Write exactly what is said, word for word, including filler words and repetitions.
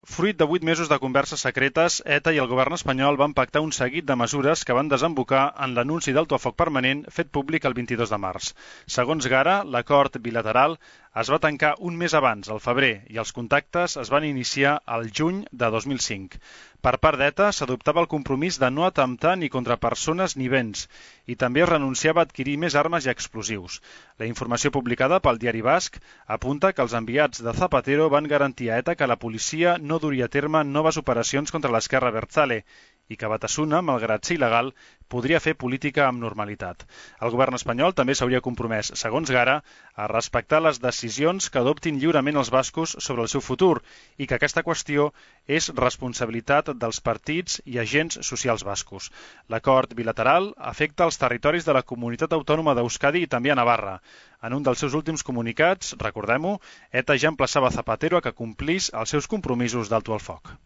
Fruit de vuit mesos de converses secretes, ETA i el govern espanyol van pactar un seguit de mesures que van desembocar en l'anunci d'alto el foc permanent fet públic el vint-i-dos de març. Segons Gara, l'acord bilateral es va tancar un mes abans, al febrer, i els contactes es van iniciar al juny de dos mil cinc. Per part d'ETA s'adoptava el compromís de no atemptar ni contra persones ni béns, i també es renunciava a adquirir més armes i explosius. La informació publicada pel diari basc apunta que els enviats de Zapatero van garantir a ETA que la policia no duria a terme noves operacions contra l'esquerra Abertzale i que Batasuna, malgrat ser il·legal, podria fer política amb normalitat. El govern espanyol també s'hauria compromès, segons Gara, a respectar les decisions que adoptin lliurement els bascos sobre el seu futur i que aquesta qüestió és responsabilitat dels partits i agents socials bascos. L'acord bilateral afecta els territoris de la comunitat autònoma d'Euskadi i també a Navarra. En un dels seus últims comunicats, recordem-ho, ETA ja emplaçava Zapatero a que complís els seus compromisos d'alto el foc.